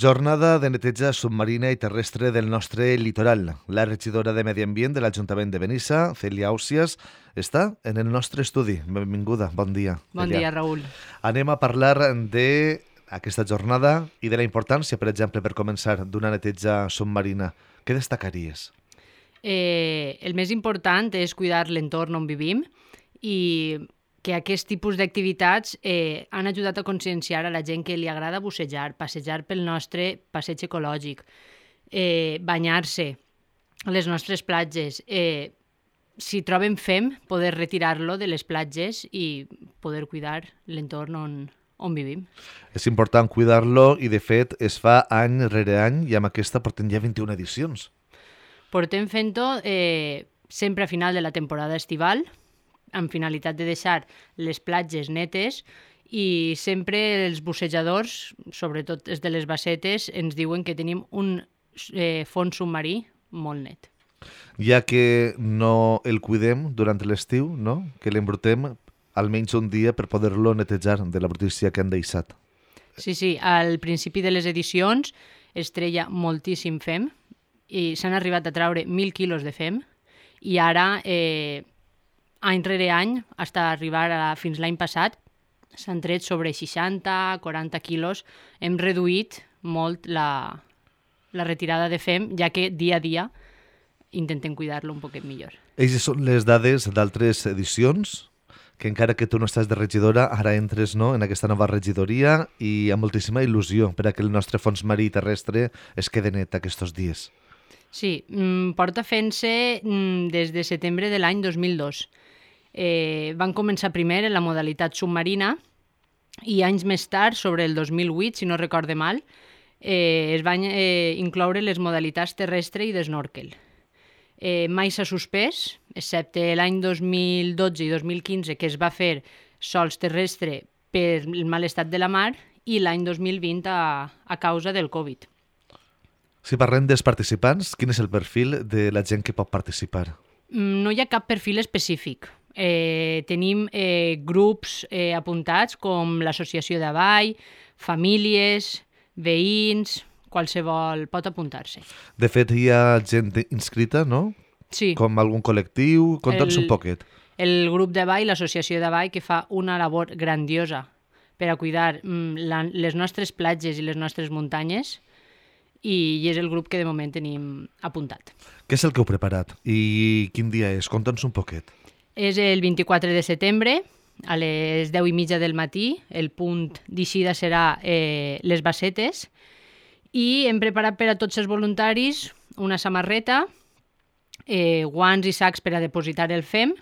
Jornada de neteja submarina i terrestre del nostre litoral. La regidora de Medi Ambient de l'Ajuntament de Benissa, Cèlia Àusias, està en el nostre estudi. Benvinguda, bon dia. Bon Cèlia. dia, Raül. Anem a parlar d'aquesta jornada i de la importància, per exemple, per començar, d'una neteja submarina. Què destacaries? El més important és cuidar l'entorn on vivim i que aquest tipus d'activitats han ajudat a conscienciar a la gent que li agrada bussejar, passejar pel nostre passeig ecològic, banyar-se a les nostres platges. Si troben fem, poder retirar-lo de les platges i poder cuidar l'entorn on vivim. És important cuidar-lo i, de fet, es fa any rere any i amb aquesta portem ja 21 edicions. Portem fent-ho sempre a final de la temporada estival, amb finalitat de deixar les platges netes, i sempre els bussejadors, sobretot els de les bassetes, ens diuen que tenim un fons submarí molt net. Ja que no el cuidem durant l'estiu, no? Que l'embrutem almenys un dia per poder-lo netejar de la brutícia que han deixat. Sí, al principi de les edicions es treia moltíssim fem i s'han arribat a treure 1.000 quilos de fem i ara, any rere any, fins a arribar fins l'any passat, s'han tret sobre 60-40 quilos. Hem reduït molt la retirada de fem, ja que dia a dia intentem cuidar-lo un poquet millor. Eixes són les dades d'altres edicions, que encara que tu no estàs de regidora, ara entres, no, en aquesta nova regidoria i amb moltíssima il·lusió per a que el nostre fons marí terrestre es quede net aquests dies. Sí, porta fent-se des de setembre de l'any 2002. Van començar primer en la modalitat submarina i anys més tard, sobre el 2008, si no recorde mal, es van incloure les modalitats terrestre i d'snorkel. Mai s'ha suspès, excepte l'any 2012 i 2015, que es va fer sols terrestre per el mal estat de la mar, i l'any 2020 a causa del Covid. Si parlem dels participants, quin és el perfil de la gent que pot participar? No hi ha cap perfil específic. Tenim grups apuntats com l'associació de ball, famílies, veïns, qualsevol pot apuntar-se. De fet, hi ha gent inscrita, no? Sí. Com algun col·lectiu? Conta'ns un poquet. El grup de ball, l'associació de ball, que fa una labor grandiosa per a cuidar les nostres platges i les nostres muntanyes, i és el grup que de moment tenim apuntat. Què és el que heu preparat i quin dia és? Conta'ns un poquet. És el 24 de setembre, a les 10:30 del matí. El punt d'eixida serà les bassetes, i hem preparat per a tots els voluntaris una samarreta, guants i sacs per a depositar el fem,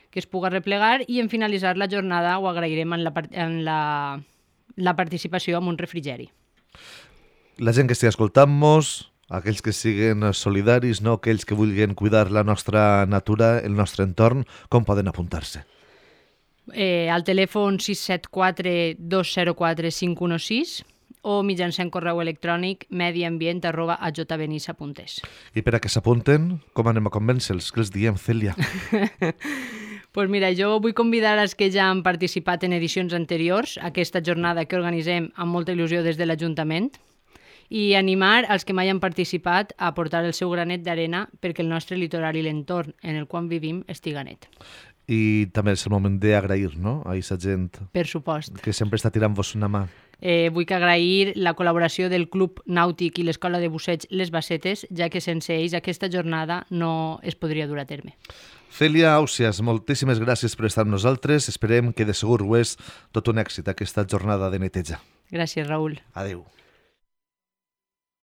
que es puga replegar, i en finalitzar la jornada ho agrairem en la participació amb un refrigeri. La gent que estigui escoltant-nos, aquells que siguin solidaris, no? Aquells que vulguin cuidar la nostra natura, el nostre entorn, com poden apuntar-se? Al telèfon 674-204-516 o mitjançant correu electrònic mediambient@ajbenissa.es. I per a que s'apunten, com anem a convèncer-los? Què els diem, Cèlia? Pues mira, jo vull convidar els que ja han participat en edicions anteriors a aquesta jornada que organitzem amb molta il·lusió des de l'Ajuntament, i animar els que mai han participat a aportar el seu granet d'arena perquè el nostre litoral i l'entorn en el qual vivim estiga net. I també és el moment d'agrair, no?, a aquesta gent Per supost. que sempre està tirant-vos una mà. Vull agrair la col·laboració del Club Nàutic i l'Escola de Busseig Les Bassetes, ja que sense ells aquesta jornada no es podria dur a terme. Cèlia Àusias, moltíssimes gràcies per estar amb nosaltres. Esperem que de segur ho és tot un èxit aquesta jornada de neteja. Gràcies, Raül. Adéu.